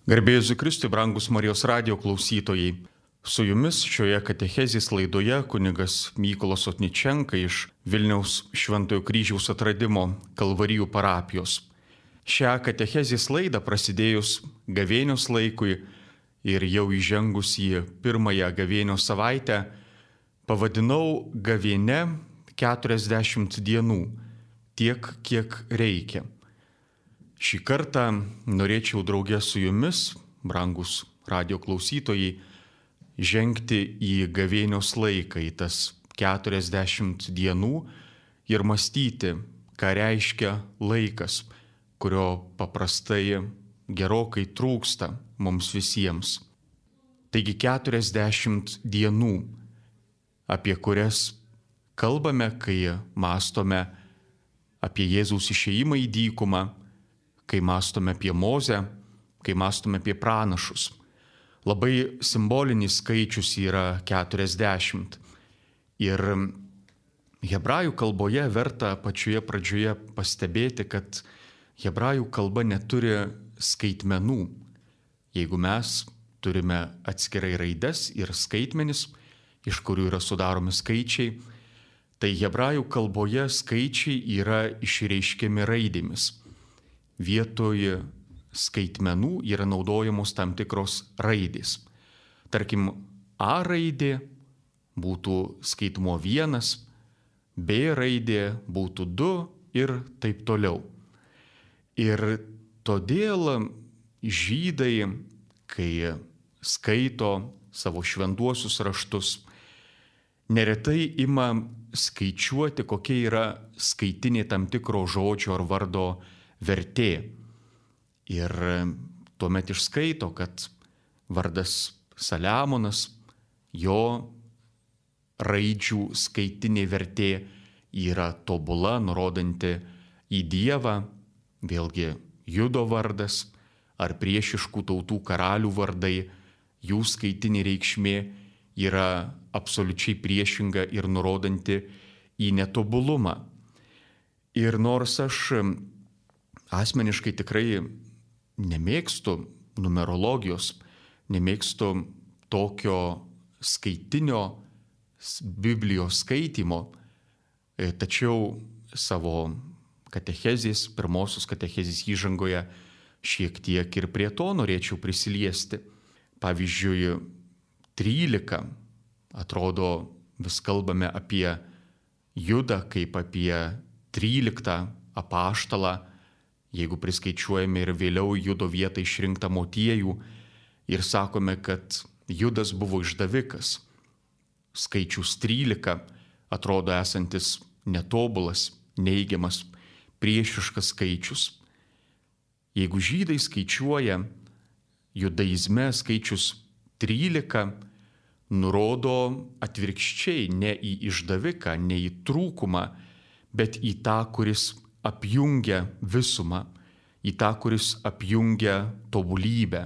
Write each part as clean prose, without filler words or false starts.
Garbė Jėzui Kristui, brangus Marijos radijo klausytojai. Su jumis šioje katechezės laidoje kunigas Mykolas Otničenka iš Vilniaus Šventojo Kryžiaus atradimo Kalvarijų parapijos. Šią katechezės laidą prasidėjus gavėnios laikui ir jau įžengus į pirmąją gavėnios savaitę pavadinau gavėne 40 dienų, tiek kiek reikia. Šį kartą norėčiau draugė su jumis, brangus radio klausytojai, žengti į gavėnios laiką, į tas 40 dienų ir mąstyti, ką reiškia laikas, kurio paprastai gerokai trūksta mums visiems. Taigi 40 dienų, apie kurias kalbame, kai mąstome apie Jėzaus išėjimą į dykumą, kai mąstome apie Mozę, kai mąstome apie pranašus. Labai simbolinis skaičius yra 40. Ir hebrajų kalboje verta pačioje pradžioje pastebėti, kad hebrajų kalba neturi skaitmenų. Jeigu mes turime atskirai raides ir skaitmenis, iš kurių yra sudaromi skaičiai, tai hebrajų kalboje skaičiai yra išreiškiami raidėmis. Vietoje skaitmenų yra naudojamos tam tikros raidės. Tarkim, A raidė būtų skaitmuo 1, B raidė būtų 2 ir taip toliau. Ir todėl žydai, kai skaito savo šventuosius raštus, neretai ima skaičiuoti, kokia yra skaitinė tam tikro žodžio ar vardo vertė. Ir tuomet išskaito, kad vardas Saliamonas, jo raidžių skaitinė vertė yra tobula, nurodanti į Dievą, vėlgi Judo vardas ar priešiškų tautų karalių vardai, jų skaitinė reikšmė yra absoliučiai priešinga ir nurodanti į netobulumą. Ir nors aš asmeniškai tikrai nemėgstu numerologijos, nemėgstu tokio skaitinio Biblijos skaitimo, tačiau savo katechezės, pirmosios katechezės įžangoje šiek tiek ir prie to norėčiau prisiliesti. Pavyzdžiui, 13, atrodo, vis kalbame apie Judą kaip apie 13 apaštalą, jeigu priskaičiuojame ir vėliau Judo vietą išrinktą Motiejų ir sakome, kad Judas buvo išdavikas. Skaičius 13 atrodo esantis netobulas, neigiamas, priešiškas skaičius. Jeigu žydai skaičiuoja, judaizme skaičius 13 nurodo atvirkščiai ne į išdaviką, ne į trūkumą, bet į tą, kuris apjungia visumą, į tą, kuris apjungia tobulybę,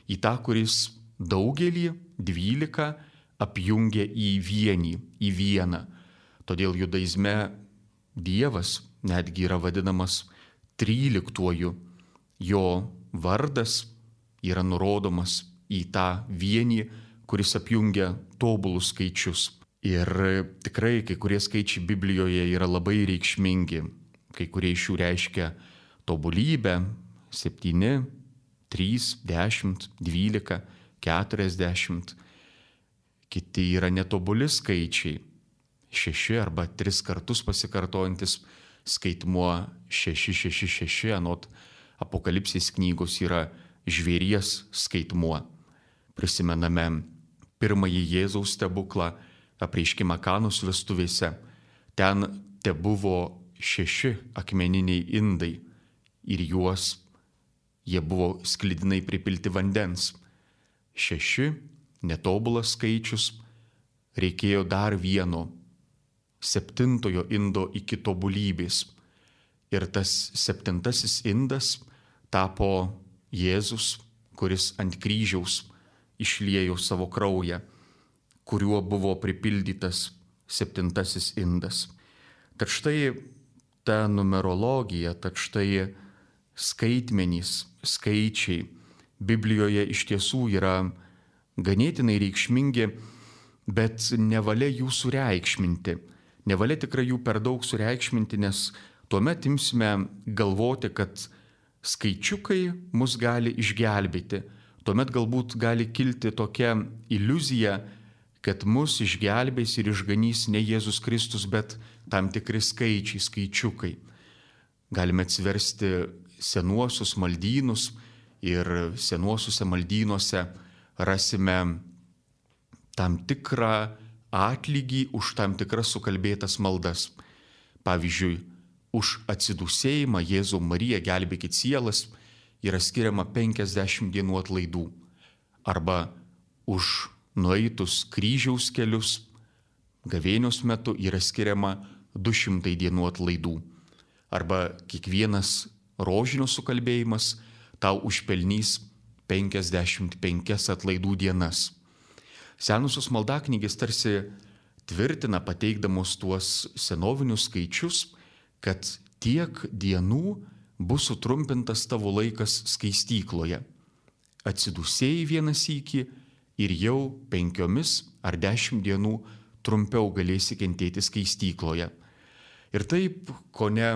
į tą, kuris daugelį 12 apjungia į vienį, į vieną. Todėl judaizme Dievas netgi yra vadinamas 13-uoju, jo vardas yra nurodomas į tą vienį, kuris apjungia tobulus skaičius. Ir tikrai kai kurie skaičiai Biblijoje yra labai reikšmingi. Kai kurie iš jų reiškia tobulybę - 7, 3, 10, 12, 40. Kiti yra netobuli skaičiai - 6 arba 3 kartus pasikartojantis skaitmuo 666, anot Apokalipsės knygos yra žvėries skaitmuo. Prisimename pirmąjį Jėzaus stebuklą, apreiškimą Kanos vestuvėse. Ten tebuvo 6 akmeniniai indai ir jie buvo sklidinai pripilti vandens. 6 netobulas skaičius, reikėjo dar vieno 7 indo iki tobulybės. Ir tas 7 indas tapo Jėzus, kuris ant kryžiaus išliejo savo kraują, kuriuo buvo pripildytas 7 indas. Tad štai ta numerologija, tad štai skaitmenys, skaičiai Biblijoje iš tiesų yra ganėtinai reikšmingi, bet nevalia jų sureikšminti. Nevalia tikrai jų per daug sureikšminti, nes tuomet imsime galvoti, kad skaičiukai mus gali išgelbėti. Tuomet galbūt gali kilti tokia iliuzija, kad mus išgelbės ir išganys ne Jėzus Kristus, bet tam tikri skaičiai, skaičiukai. Galime atsiversti senuosius maldynus ir senuosiuose maldynuose rasime tam tikrą atlygį už tam tikras sukalbėtas maldas. Pavyzdžiui, už atsidūsėjimą Jėzau Marija gelbėkit sielas yra skiriama 50 dienų atlaidų. Arba už nueitus kryžiaus kelius gavėnios metu yra skiriama 200 dienų atlaidų. Arba kiekvienas rožinio sukalbėjimas tau užpelnys 55 atlaidų dienas. Senusios maldaknygės tarsi tvirtina, pateikdamos tuos senovinius skaičius, kad tiek dienų bus sutrumpintas tavo laikas skaistykloje. Atsidūsėjai vieną sykį ir jau 5 ar 10 dienų trumpiau galėsi kentėti skaistykloje. Ir taip, kone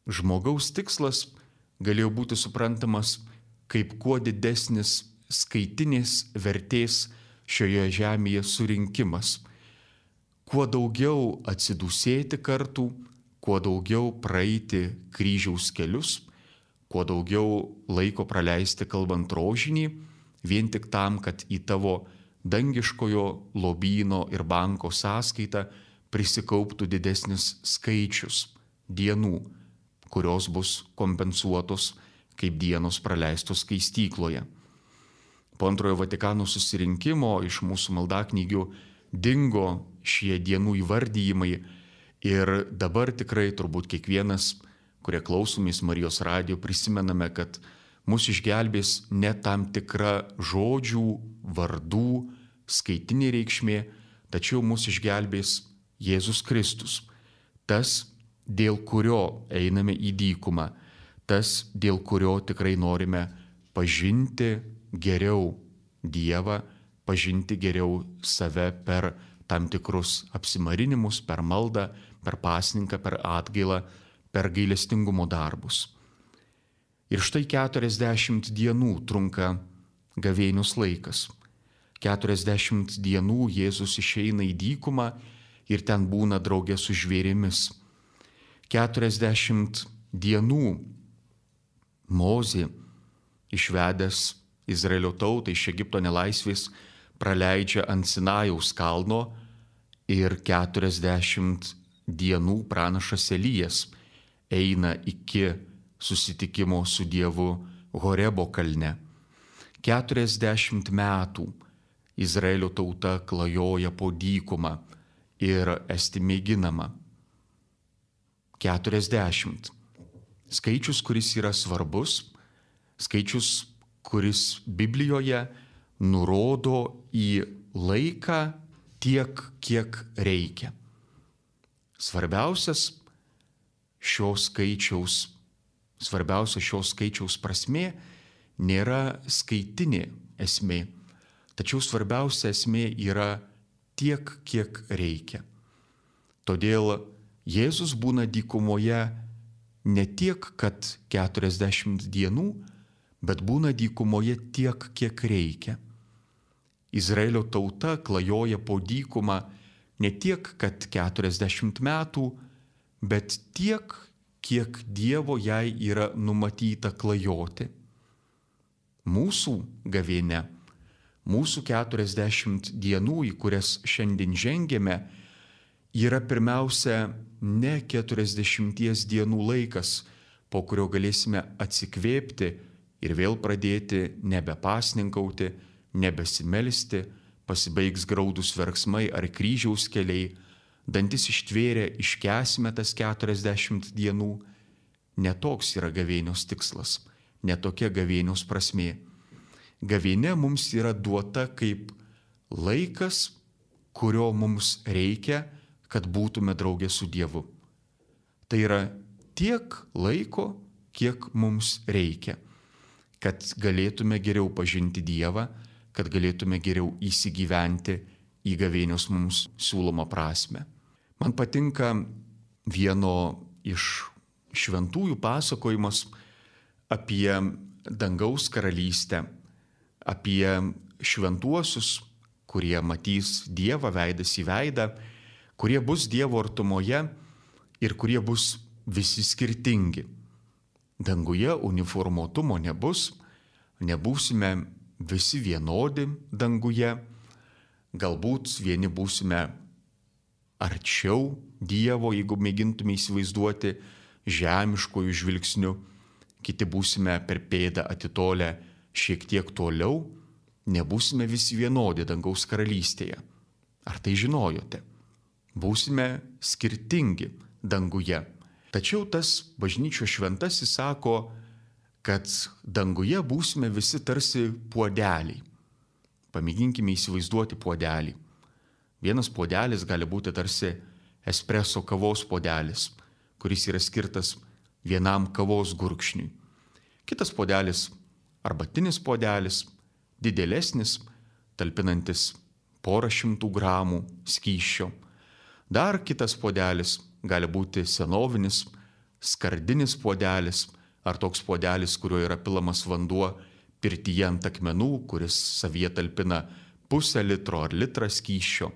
žmogaus tikslas galėjo būti suprantamas kaip kuo didesnis skaitinės vertės šioje žemėje surinkimas. Kuo daugiau atsidūsėti kartų, kuo daugiau praeiti kryžiaus kelius, kuo daugiau laiko praleisti kalbant rožinį, vien tik tam, kad į tavo dangiškojo lobyno ir banko sąskaitą prisikauptų didesnis skaičius dienų, kurios bus kompensuotos kaip dienos praleistos skaistykloje. Po Antrojo Vatikano susirinkimo iš mūsų maldaknygių dingo šie dienų įvardyjimai ir dabar tikrai turbūt kiekvienas, kurie klausomės Marijos radijo, prisimename, kad mus išgelbės ne tam tikra žodžių, vardų, skaitinė reikšmė, tačiau mus išgelbės Jėzus Kristus. Tas, dėl kurio einame į dykumą, tas, dėl kurio tikrai norime pažinti geriau Dievą, pažinti geriau save per tam tikrus apsimarinimus, per maldą, per pasninką, per atgailą, per gailestingumo darbus. Ir štai 40 dienų trunka gavėnios laikas. 40 dienų Jėzus išeina į dykumą ir ten būna drauge su žvėrimis. 40 dienų Mozė, išvedęs Izraelio tautą iš Egipto nelaisvės, praleidžia ant Sinajaus kalno ir 40 dienų pranašas Elijas eina iki susitikimo su Dievu Horebo kalne. 40 metų Izraelio tauta klajoja po dykumą ir esti mėginama. 40. Skaičius, kuris yra svarbus, skaičius, kuris Biblijoje nurodo į laiką tiek, kiek reikia. Svarbiausia šios skaičiaus prasmė nėra skaitinė esmė, tačiau svarbiausia esmė yra tiek, kiek reikia. Todėl Jėzus būna dykumoje ne tiek, kad 40 dienų, bet būna dykumoje tiek, kiek reikia. Izraelio tauta klajoja po dykumą ne tiek, kad 40 metų, bet tiek, kiek Dievo jai yra numatyta klajoti. Mūsų gavėnia, mūsų 40 dienų, į kurias šiandien žengėme, yra pirmiausia ne 40 dienų laikas, po kurio galėsime atsikvėpti ir vėl pradėti nebepasninkauti, nebesimelsti, pasibaigs graudus verksmai ar kryžiaus keliai, dantis ištvėrę iškęsime tas 40 dienų. Netoks yra gavėnios tikslas, netokia gavėnios prasmė. Gavėnia mums yra duota kaip laikas, kurio mums reikia, kad būtume drauge su Dievu. Tai yra tiek laiko, kiek mums reikia. kad galėtume geriau pažinti Dievą, kad galėtume geriau įsigyventi į gavėnios mums siūlomą prasme. Man patinka vieno iš šventųjų pasakojimas apie dangaus karalystę, apie šventuosius, kurie matys Dievą veidas į veidą, kurie bus Dievo artumoje ir kurie bus visi skirtingi. Danguje uniformuotumo nebus, nebūsime visi vienodi danguje, galbūt vieni būsime arčiau Dievo, jeigu mėgintume įsivaizduoti žemiškojų žvilgsnių, kiti būsime per pėdą atitolę šiek tiek toliau, nebūsime visi vienodi dangaus karalystėje. Ar tai žinojote? Būsime skirtingi danguje. Tačiau tas bažnyčios šventasis sako, kad danguje būsime visi tarsi puodeliai. Pamėginkime įsivaizduoti puodelį. Vienas puodelis gali būti tarsi espreso kavos puodelis, kuris yra skirtas vienam kavos gurkšniui. Kitas puodelis arbatinis puodelis, didelesnis, talpinantis porą šimtų gramų skysčio. Dar kitas puodelis gali būti senovinis, skardinis puodelis ar toks puodelis, kuriuo yra pilamas vanduo pirtyje ant akmenų, kuris savyje talpina pusę litro ar litrą skysčio.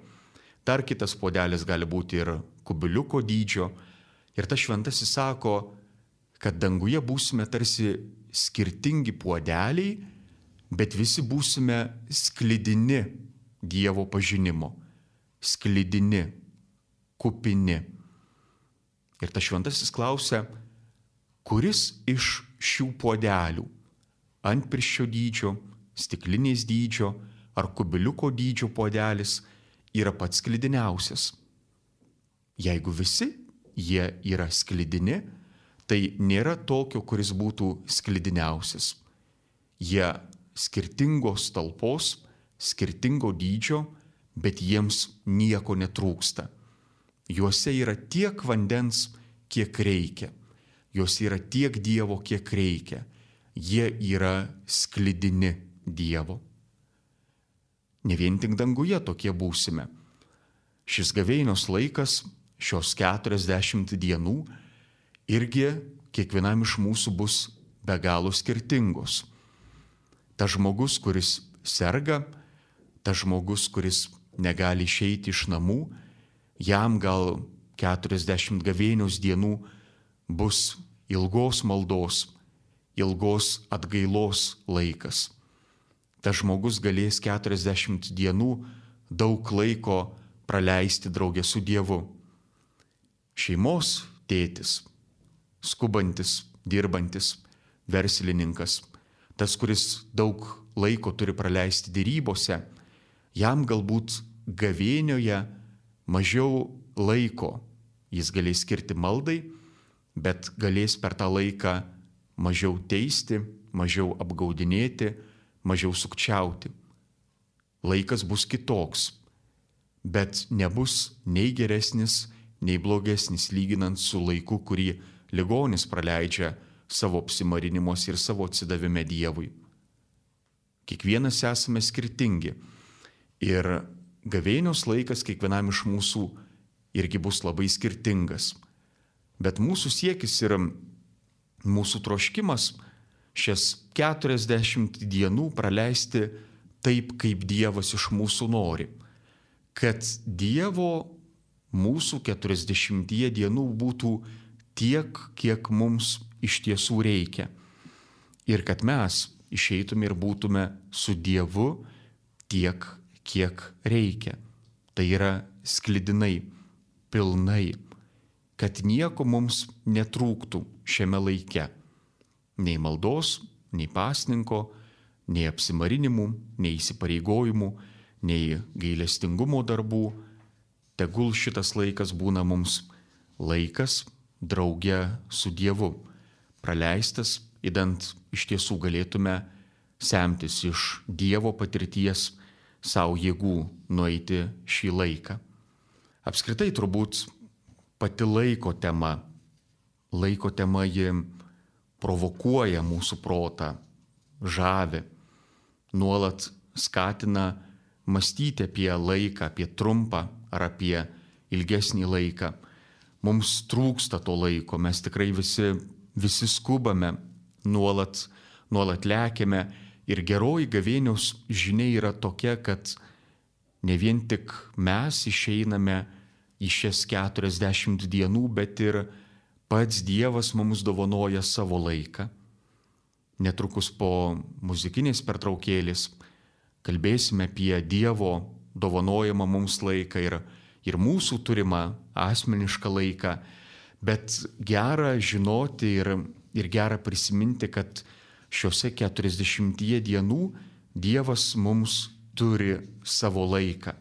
Dar kitas puodelis gali būti ir kubiliuko dydžio. Ir tas šventasis sako, kad danguje būsime tarsi skirtingi puodeliai, bet visi būsime sklidini Dievo pažinimo, sklidini, kupini. Ir tas šventasis klausia, kuris iš šių puodelių, antpirščio dydžio, stiklinės dydžio ar kubiliuko dydžio puodelis yra pats sklidiniausias. Jeigu visi jie yra sklidini, tai nėra tokio, kuris būtų sklidiniausias. Jie skirtingos talpos, skirtingo dydžio, bet jiems nieko netrūksta. Juose yra tiek vandens, kiek reikia. Juose yra tiek Dievo, kiek reikia. Jie yra sklidini Dievo. Ne vien tik danguje tokie būsime. Šis gavėnios laikas, šios 40 dienų, irgi kiekvienam iš mūsų bus be galo skirtingos. Tas žmogus, kuris serga, tas žmogus, kuris negali išeiti iš namų, jam gal 40 gavėnios dienų bus ilgos maldos, ilgos atgailos laikas. Tas žmogus galės 40 dienų daug laiko praleisti draugę su Dievu. Šeimos tėtis, skubantis, dirbantis, verslininkas, tas, kuris daug laiko turi praleisti dėrybose, jam galbūt gavėnioje mažiau laiko jis galės skirti maldai, bet galės per tą laiką mažiau teisti, mažiau apgaudinėti, mažiau sukčiauti. Laikas bus kitoks, bet nebus nei geresnis, nei blogesnis lyginant su laiku, kurį ligonis praleidžia savo apsimarinimuose ir savo atsidavime Dievui. Kiekvienas esame skirtingi ir gavėnios laikas kiekvienam iš mūsų irgi bus labai skirtingas. Bet mūsų siekis ir mūsų troškimas šias 40 dienų praleisti taip, kaip Dievas iš mūsų nori. Kad Dievo mūsų 40 dienų būtų tiek, kiek mums iš tiesų reikia. Ir kad mes išeitume ir būtume su Dievu tiek, kiek reikia. Tai yra sklidinai, pilnai, kad nieko mums netrūktų šiame laike. Nei maldos, nei pasninko, nei apsimarinimų, nei įsipareigojimų, nei gailestingumo darbų. Tegul šitas laikas būna mums laikas drauge su Dievu, praleistas, idant iš tiesų galėtume semtis iš Dievo patirties savo jėgų nueiti šį laiką. Apskritai turbūt pati laiko tema ji provokuoja mūsų protą, žavi, nuolat skatina mąstyti apie laiką, apie trumpą ar apie ilgesnį laiką. Mums trūksta to laiko, mes tikrai visi skubame, nuolat lekiame ir geroji gavėnios žinia yra tokia, kad ne vien tik mes išeiname į šias 40 dienų, bet ir pats Dievas mums dovanoja savo laiką. Netrukus po muzikinės pertraukėlės kalbėsime apie Dievo dovanojamą mums laiką ir mūsų turimą asmenišką laiką, bet gera žinoti ir gera prisiminti, kad šiuose 40 dienų Dievas mums turi savo laiką.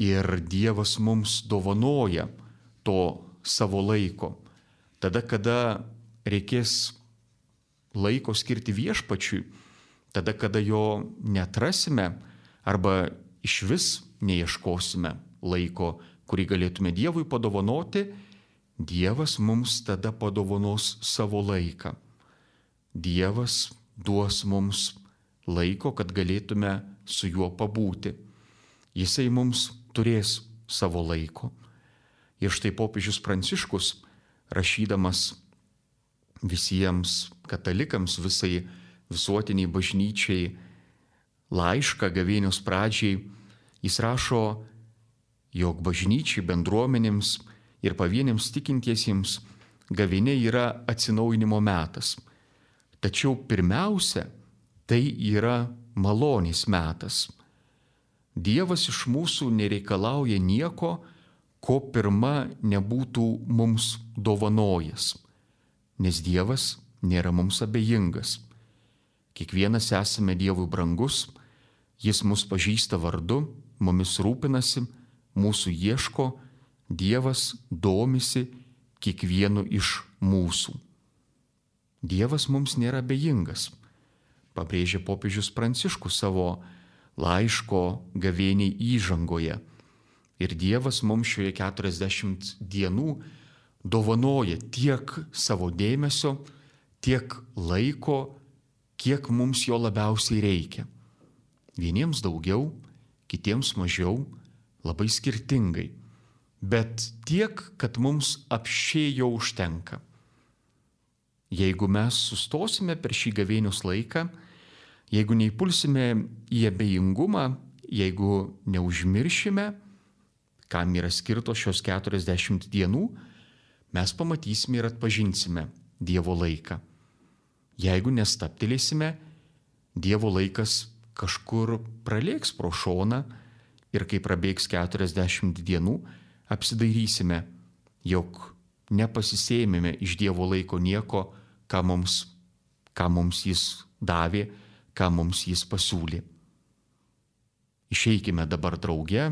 Ir Dievas mums dovanoja to savo laiko. Tada, kada reikės laiko skirti viešpačiui, tada, kada jo neatrasime arba išvis neieškosime laiko, kurį galėtume Dievui padovanoti, Dievas mums tada padovanos savo laiką. Dievas duos mums laiko, kad galėtume su juo pabūti. Jisai mums turės savo laiko. Ir štai popiežius Pranciškus, rašydamas visiems katalikams, visai visuotiniai bažnyčiai laišką gavėnios pradžiai, jis rašo, jog bažnyčiai, bendruomenėms ir pavieniams tikintiesiems gavėnia yra atsinaujinimo metas. Tačiau pirmiausia, tai yra malonės metas. Dievas iš mūsų nereikalauja nieko, ko pirma nebūtų mums dovanojęs, nes Dievas nėra mums abejingas. Kiekvienas esame Dievui brangus, Jis mus pažįsta vardu, mumis rūpinasi, mūsų ieško, Dievas domisi kiekvienu iš mūsų. Dievas mums nėra abejingas, pabrėžė popiežius Pranciškus savo laiško gavėniai įžangoje. Ir Dievas mums šioje 40 dienų dovanoja tiek savo dėmesio, tiek laiko, kiek mums jo labiausiai reikia. Vieniems daugiau, kitiems mažiau, labai skirtingai, bet tiek, kad mums apsčiai jo užtenka. Jeigu mes sustosime per šį gavėnios laiką, jeigu neįpulsime į abejingumą, jeigu neužmiršime, kam yra skirtos šios 40 dienų, mes pamatysime ir atpažinsime Dievo laiką. Jeigu nestaptelėsime, Dievo laikas kažkur pralėks pro šoną ir kai prabėgs 40 dienų, apsidairysime, jog nepasisėmėme iš Dievo laiko nieko, ką mums jis davė, ką mums jis pasiūlė. Išeikime dabar drauge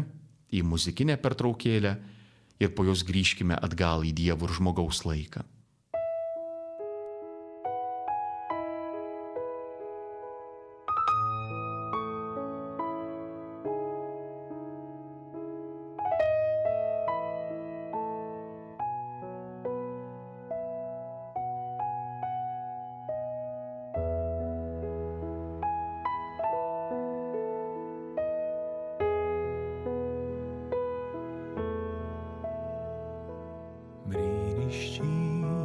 į muzikinę pertraukėlę ir po jos grįžkime atgal į Dievo ir žmogaus laiką. Brīnišķīgi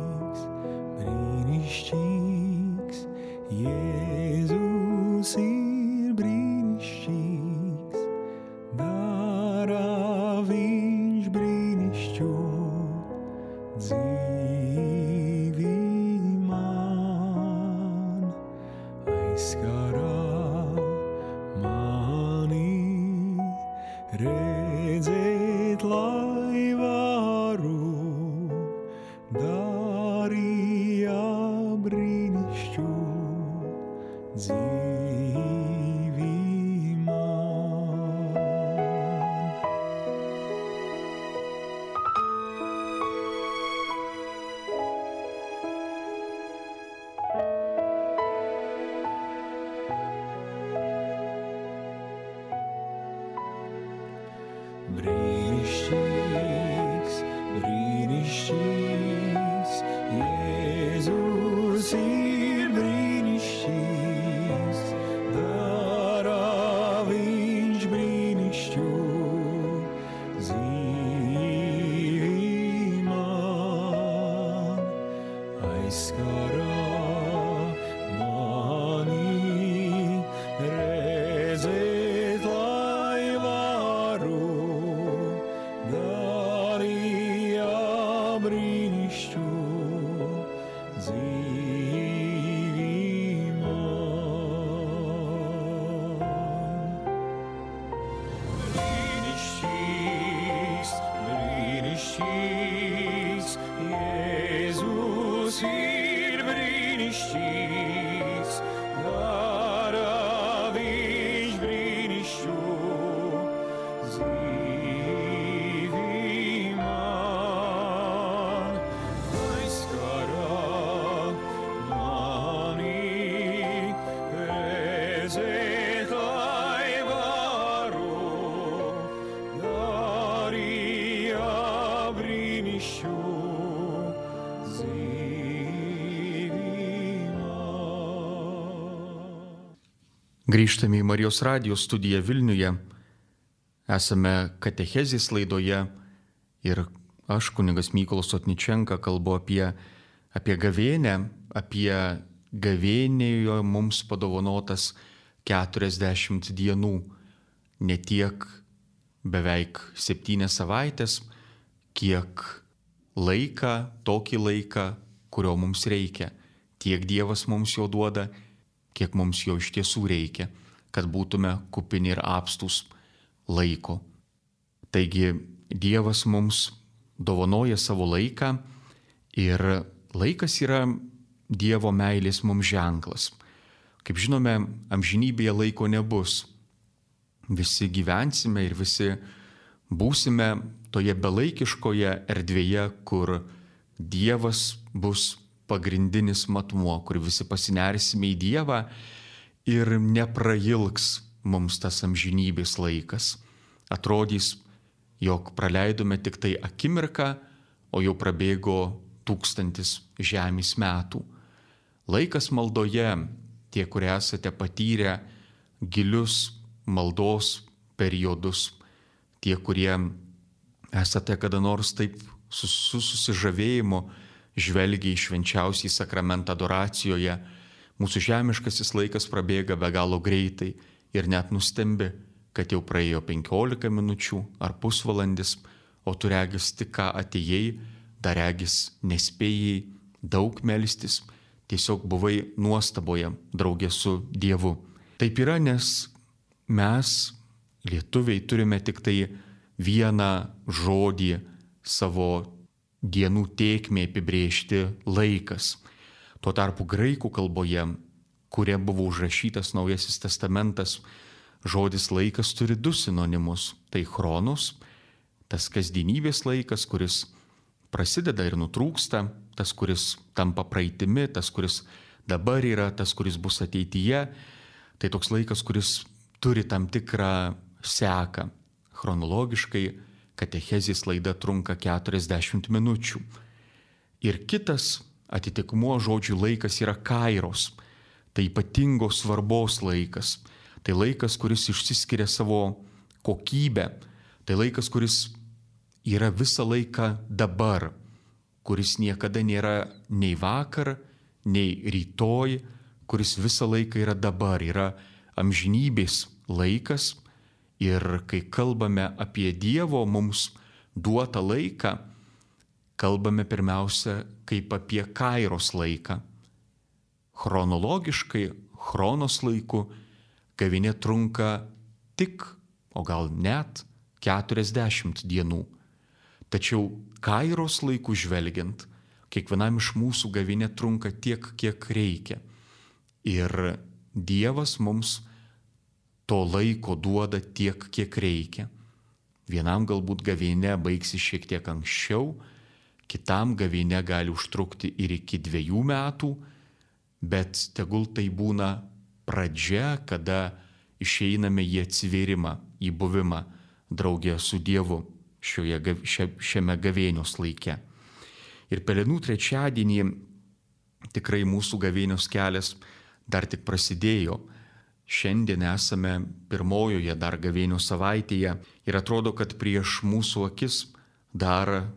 Grįžtame į Marijos radijos studiją Vilniuje. Esame katechezės laidoje ir aš, kunigas Mykolas Sotničenka, kalbu apie gavėnią, apie gavėnėje mums padovanotas 40 dienų, ne tiek beveik 7 savaitės, kiek tokį laiką, kurio mums reikia. Tiek Dievas mums jo duoda, kiek mums jo iš tiesų reikia, kad būtume kupini ir apstūs laiko. Taigi Dievas mums dovanoja savo laiką ir laikas yra Dievo meilės mums ženklas. Kaip žinome, amžinybėje laiko nebus. Visi gyvensime ir visi būsime toje belaikiškoje erdvėje, kur Dievas bus pagrindinis matmuo, kur visi pasinersime į Dievą ir neprailgs mums tas amžinybės laikas. Atrodys, jog praleidome tik tai akimirką, o jau prabėgo 1000 žemės metų. Laikas maldoje, tie, kurie esate patyrę gilius maldos periodus, tie, kurie esate kada nors taip su susižavėjimu žvelgia į švenčiausią sakramentą adoracijoje, mūsų žemiškasis laikas prabėga be galo greitai ir net nustembi, kad jau praėjo 15 minučių ar pusvalandis, o tu regis tik ką atėjai, dar regis nespėjai daug melstis, tiesiog buvai nuostaboje draugė su Dievu. Taip yra, nes mes, lietuviai, turime tik tai vieną žodį savo dienų tėkmė apibrėžti — laikas. Tuo tarpu graikų kalboje, kuria buvo užrašytas Naujasis testamentas, žodis laikas turi 2 sinonimus. Tai chronos, tas kasdienybės laikas, kuris prasideda ir nutrūksta, tas, kuris tampa praeitimi, tas, kuris dabar yra, tas, kuris bus ateityje. Tai toks laikas, kuris turi tam tikrą seką. Chronologiškai katechezės laida trunka 40 minučių. Ir kitas atitikmuo žodžių laikas yra kairos. Tai ypatingos svarbos laikas. Tai laikas, kuris išsiskiria savo kokybę. Tai laikas, kuris yra visą laiką dabar, kuris niekada nėra nei vakar, nei rytoj, kuris visą laiką yra dabar, yra amžinybės laikas. Ir kai kalbame apie Dievo mums duotą laiką, kalbame pirmiausia kaip apie kairos laiką. Chronologiškai, chronos laiku, gavėnia trunka tik, o gal net 40 dienų. Tačiau kairos laiku žvelgiant, kiekvienam iš mūsų gavėnia trunka tiek, kiek reikia. Ir Dievas mums to laiko duoda tiek, kiek reikia. Vienam galbūt gavėnia baigsis šiek tiek anksčiau, kitam gavėnia gali užtrukti ir iki 2 metų, bet tegul tai būna pradžia, kada išeiname į atsivėrimą, į buvimą draugė su Dievu šiame gavėnios laike. Ir Pelenų trečiadienį tikrai mūsų gavėnios kelias dar tik prasidėjo. Šiandien esame pirmojoje dar gavėnios savaitėje ir atrodo, kad prieš mūsų akis dar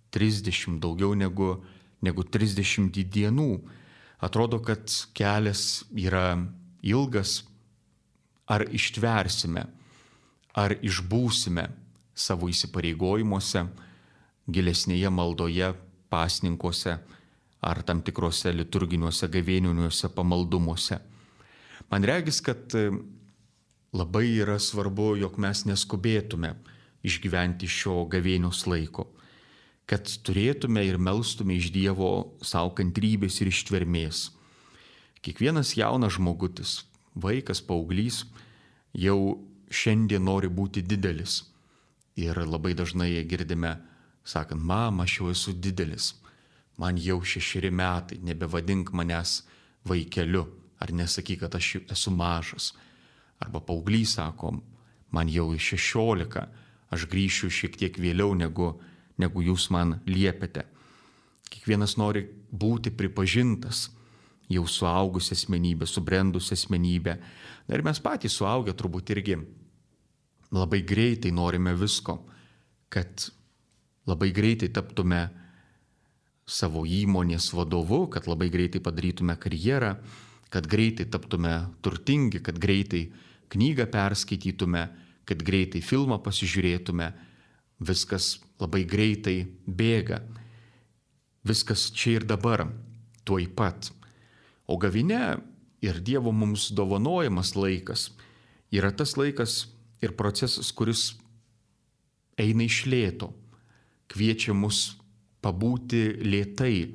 30, daugiau negu 30 dienų. Atrodo, kad kelias yra ilgas. Ar ištversime, ar išbūsime savo įsipareigojimuose, gilesnėje maldoje, pasninkuose ar tam tikrose liturginiuose gavėniniuose pamaldumuose. Man regis, kad labai yra svarbu, jog mes neskubėtume išgyventi šio gavėnios laiko, kad turėtume ir melstume iš Dievo savo kantrybės ir ištvermės. Kiekvienas jaunas žmogutis, vaikas, paauglys jau šiandien nori būti didelis. Ir labai dažnai girdime, sakant, mama, aš jau esu didelis, man jau 6 metai, nebevadink manęs vaikeliu. Ar nesakyk, kad aš esu mažas. Arba paauglys sako, man jau 16, aš grįšiu šiek tiek vėliau, negu jūs man liepiate. Kiekvienas nori būti pripažintas, jau suaugusi asmenybė, subrendusi asmenybė. Na ir mes patys suaugę turbūt irgi labai greitai norime visko, kad labai greitai taptume savo įmonės vadovu, kad labai greitai padarytume karjerą, kad greitai taptume turtingi, kad greitai knygą perskaitytume, kad greitai filmą pasižiūrėtume. Viskas labai greitai bėga. Viskas čia ir dabar, tuoj pat. O gavėnia ir Dievo mums dovanojamas laikas yra tas laikas ir procesas, kuris eina iš lėto, kviečia mus pabūti lėtai,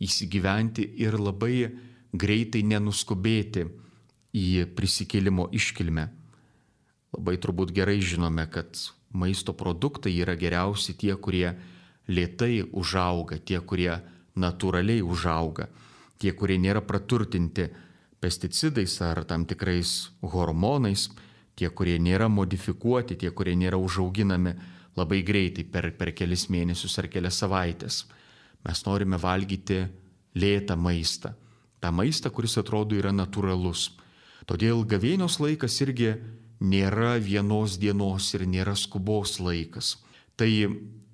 įsigyventi ir labai greitai nenuskubėti į prisikėlimo iškilmę. Labai turbūt gerai žinome, kad maisto produktai yra geriausi tie, kurie lėtai užauga, tie, kurie natūraliai užauga, tie, kurie nėra praturtinti pesticidais ar tam tikrais hormonais, tie, kurie nėra modifikuoti, tie, kurie nėra užauginami labai greitai per kelis mėnesius ar kelias savaitės. Mes norime valgyti lėtą maistą, tą maistą, kuris atrodo yra natūralus. Todėl gavėnios laikas irgi nėra vienos dienos ir nėra skubos laikas. Tai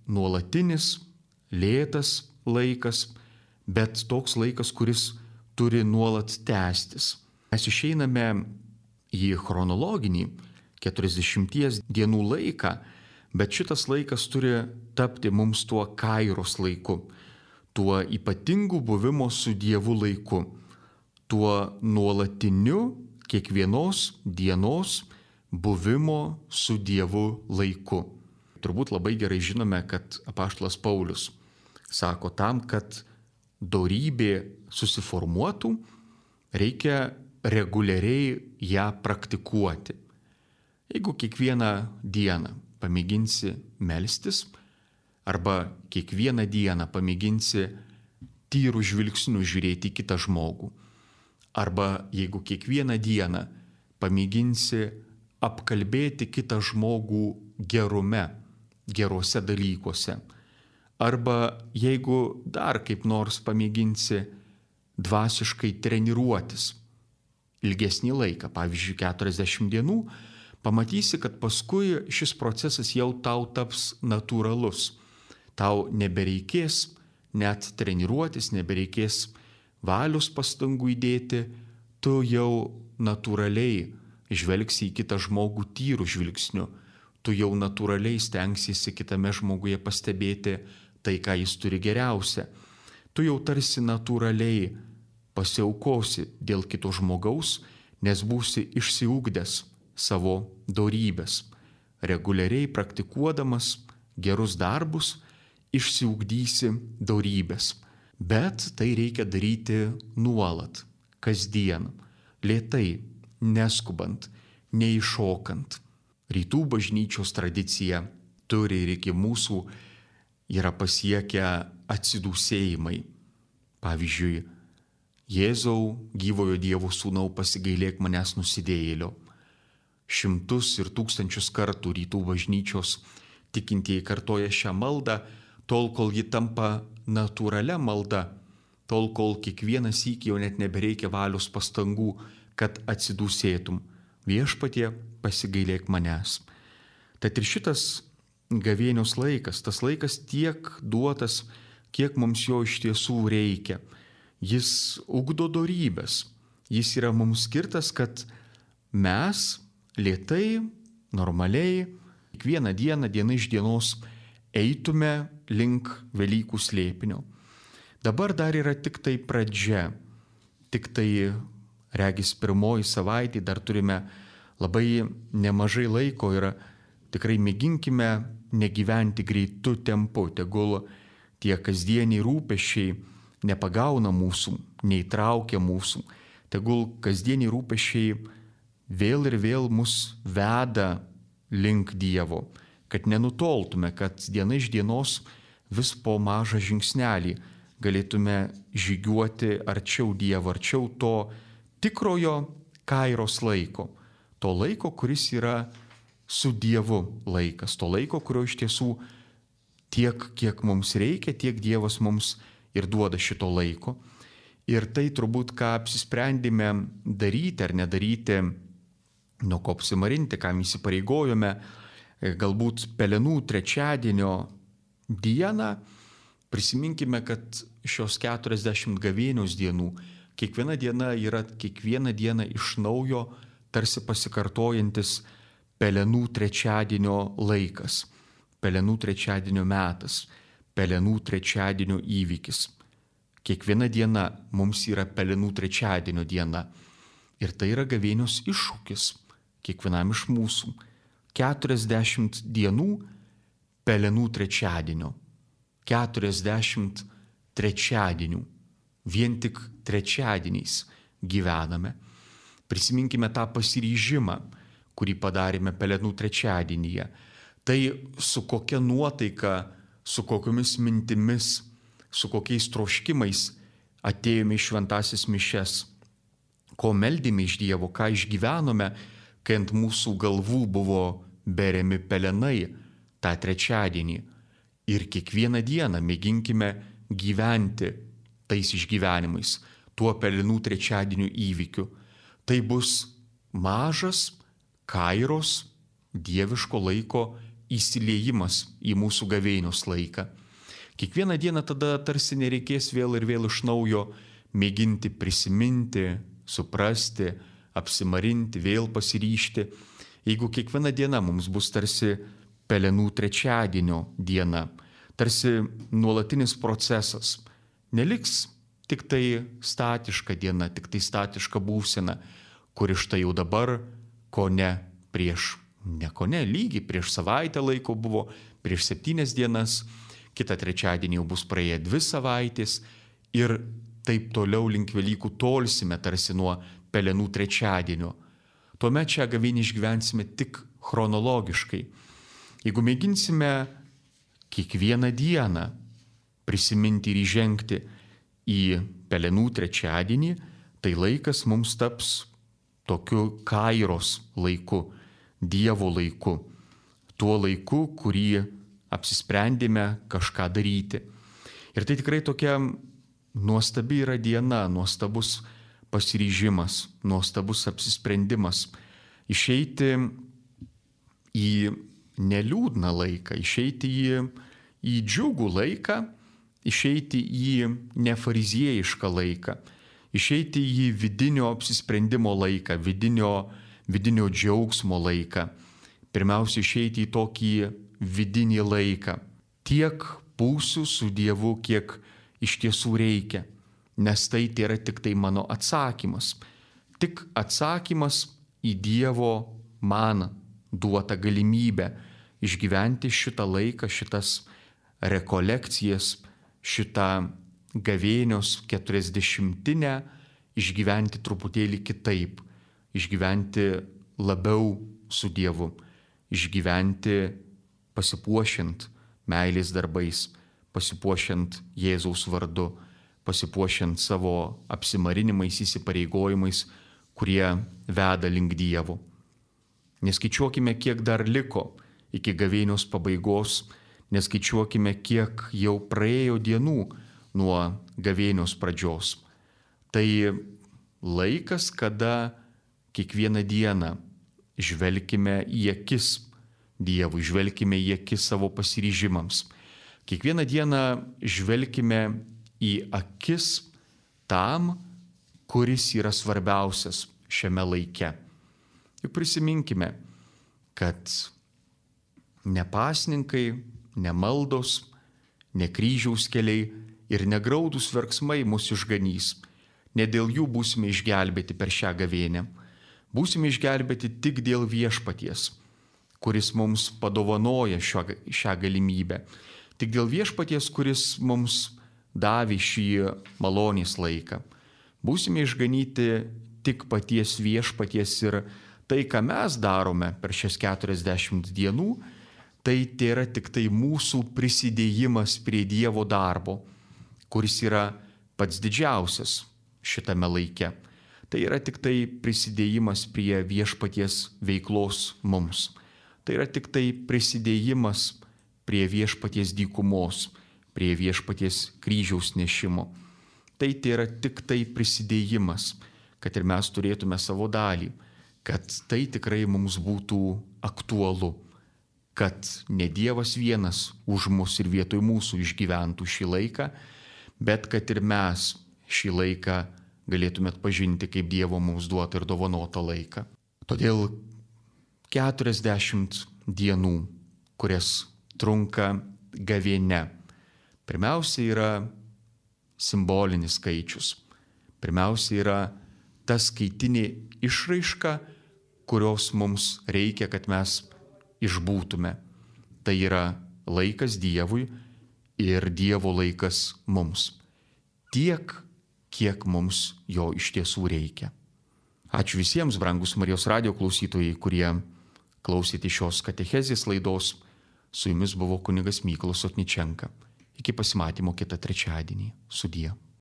nuolatinis, lėtas laikas, bet toks laikas, kuris turi nuolat tęstis. Mes išeiname į chronologinį 40 dienų laiką, bet šitas laikas turi tapti mums tuo kairos laiku, tuo ypatingu buvimo su Dievu laiku, tuo nuolatiniu kiekvienos dienos buvimo su Dievu laiku. Turbūt labai gerai žinome, kad apaštalas Paulius sako, tam, kad dorybė susiformuotų, reikia reguliariai ją praktikuoti. Jeigu kiekvieną dieną pamėginsi melstis, arba kiekvieną dieną pamėginsi tyrų žvilgsnių žiūrėti į kitą žmogų, arba jeigu kiekvieną dieną pamėginsi apkalbėti kitą žmogų gerume, geruose dalykuose, arba jeigu dar kaip nors pamėginsi dvasiškai treniruotis ilgesnį laiką, pavyzdžiui 40 dienų, pamatysi, kad paskui šis procesas jau tau taps natūralus. Tau nebereikės net treniruotis, nebereikės valios pastangų įdėti, tu jau natūraliai žvelgsi į kitą žmogų tyrų žvilgsniu, tu jau natūraliai stengsiesi kitame žmoguje pastebėti tai, ką jis turi geriausia. Tu jau tarsi natūraliai pasiaukosi dėl kito žmogaus, nes būsi išsiugdęs savo dorybės. Reguliariai praktikuodamas gerus darbus, išsiugdysi dorybės. Bet tai reikia daryti nuolat, kasdien, lėtai, neskubant, neiššokant. Rytų bažnyčios tradicija turi ir iki mūsų yra pasiekę atsidūsėjimai. Pavyzdžiui, Jėzau, gyvojo Dievo sūnau, pasigailėk manęs nusidėjėlio. Šimtus ir tūkstančius kartų rytų bažnyčios tikintieji kartoja šią maldą, tol kol ji tampa natūralia malda, tol kol kiekvieną sykį jau net nebereikia valios pastangų, kad atsidūsėtum. Viešpatie, pasigailėk manęs. Tad ir šitas gavėnios laikas, tas laikas tiek duotas, kiek mums jo iš tiesų reikia. Jis ugdo dorybės. Jis yra mums skirtas, kad mes lėtai, normaliai, kiekvieną dieną, diena iš dienos eitume link Velykų slėpinio. Dabar dar yra tik tai pradžia, tik tai regis pirmoji savaitė, dar turime labai nemažai laiko ir tikrai mėginkime negyventi greitu tempu, tegul tie kasdieniai rūpesčiai nepagauna mūsų, neįtraukia mūsų, tegul kasdieniai rūpesčiai vėl ir vėl mus veda link Dievo, kad nenutoltume, kad diena iš dienos vis po mažą žingsnelį galėtume žygiuoti arčiau Dievo, arčiau to tikrojo kairos laiko, to laiko, kuris yra su Dievu laikas, to laiko, kurio iš tiesų tiek, kiek mums reikia, tiek Dievas mums ir duoda šito laiko. Ir tai turbūt, ką apsisprendėme daryti ar nedaryti, nuo ko apsimarinti, kam įsipareigojome, galbūt Pelenų trečiadienio dieną, prisiminkime, kad šios 40 gavėnios dienų, kiekviena diena yra kiekvieną dieną iš naujo tarsi pasikartojantis Pelenų trečiadienio laikas, Pelenų trečiadienio metas, Pelenų trečiadienio įvykis. Kiekviena diena mums yra Pelenų trečiadienio diena. Ir tai yra gavėnios iššūkis kiekvienam iš mūsų. 40 dienų Pelenų trečiadienio. 40 trečiadienių. Vien tik trečiadieniais gyvename. Prisiminkime tą pasiryžimą, kurį padarėme Pelenų trečiadienyje. Tai su kokia nuotaika, su kokiomis mintimis, su kokiais troškimais atėjome į šventasis mišias, ko meldėme iš Dievo, ką išgyvenome, kai ant mūsų galvų buvo beriami pelenai tą trečiadienį. Ir kiekvieną dieną mėginkime gyventi tais išgyvenimais, tuo Pelenų trečiadienio įvykiu. Tai bus mažas kairos dieviško laiko įsiliejimas į mūsų gavėnios laiką. Kiekvieną dieną tada tarsi nereikės vėl ir vėl iš naujo mėginti prisiminti, suprasti, apsimarinti, vėl pasiryžti. Jeigu kiekviena diena mums bus tarsi Pelenų trečiadienio diena, tarsi nuolatinis procesas, neliks tik tai statiška diena, tik tai statiška būsena, kuri štai jau dabar, lygiai prieš savaitę laiko buvo, prieš 7 dienas, kitą trečiadienį jau bus praėję 2 savaitės ir taip toliau link Velykų tolsime tarsi nuo Pelenų trečiadienio. Tuomet šią gavėnią išgyvensime tik chronologiškai. Jeigu mėginsime kiekvieną dieną prisiminti ir įžengti į Pelenų trečiadienį, tai laikas mums taps tokiu kairos laiku, Dievo laiku, tuo laiku, kurį apsisprendėme kažką daryti. Ir tai tikrai tokia nuostabi yra diena, nuostabus pasiryžimas, nuostabus apsisprendimas išeiti į neliūdną laiką, išeiti į džiugų laiką, išeiti į nefariziejišką laiką, išeiti į vidinio apsisprendimo laiką, vidinio džiaugsmo laiką. Pirmiausia, išeiti į tokį vidinį laiką. Tiek būsiu su Dievu, kiek iš tiesų reikia, nes tai yra tik tai mano atsakymas. Tik atsakymas į Dievo man duotą galimybę išgyventi šitą laiką, šitas rekolekcijas, šitą gavėnios 40-inę, išgyventi truputėlį kitaip, išgyventi labiau su Dievu, išgyventi pasipuošiant meilės darbais, pasipuošiant Jėzaus vardu, pasipuošiant savo apsimarinimais, įsipareigojimais, kurie veda link Dievo. Neskaičiuokime, kiek dar liko iki gavėnios pabaigos, neskaičiuokime, kiek jau praėjo dienų nuo gavėnios pradžios. Tai laikas, kada kiekvieną dieną žvelkime į akis Dievui, žvelkime į akis savo pasiryžimams. Kiekvieną dieną žvelkime į akis tam, kuris yra svarbiausias šiame laike. Juk prisiminkime, kad ne pasninkai, ne maldos, ne kryžiaus keliai ir negraudūs verksmai mus išganys. Ne dėl jų būsime išgelbėti per šią gavėnią. Būsime išgelbėti tik dėl Viešpaties, kuris mums padovanoja šią galimybę. Tik dėl Viešpaties, kuris mums davė šį malonės laiką. Būsime išganyti tik paties Viešpaties ir tai, ką mes darome per šias 40 dienų, tai yra tik tai mūsų prisidėjimas prie Dievo darbo, kuris yra pats didžiausias šitame laike. Tai yra tik tai prisidėjimas prie Viešpaties veiklos mums. Tai yra tik tai prisidėjimas prie Viešpaties dykumos, prie Viešpaties kryžiaus nešimo. tai yra tik tai prisidėjimas, kad ir mes turėtume savo dalį, kad tai tikrai mums būtų aktualu, kad ne Dievas vienas už mus ir vietoj mūsų išgyventų šį laiką, bet kad ir mes šį laiką galėtume atpažinti kaip Dievo mums duotą ir dovanotą laiką. Todėl 40 dienų, kurias trunka gavėnia, pirmiausia yra simbolinis skaičius. Pirmiausia yra ta skaitinė išraiška, kurios mums reikia, kad mes išbūtume. Tai yra laikas Dievui ir Dievo laikas mums. Tiek, kiek mums jo iš tiesų reikia. Ačiū visiems, brangus Marijos radijo klausytojai, kurie klausėte šios katechezės laidos. Su jumis buvo kunigas Mykolas Sotničenka. Iki pasimatymo kitą trečiadienį. Sudie.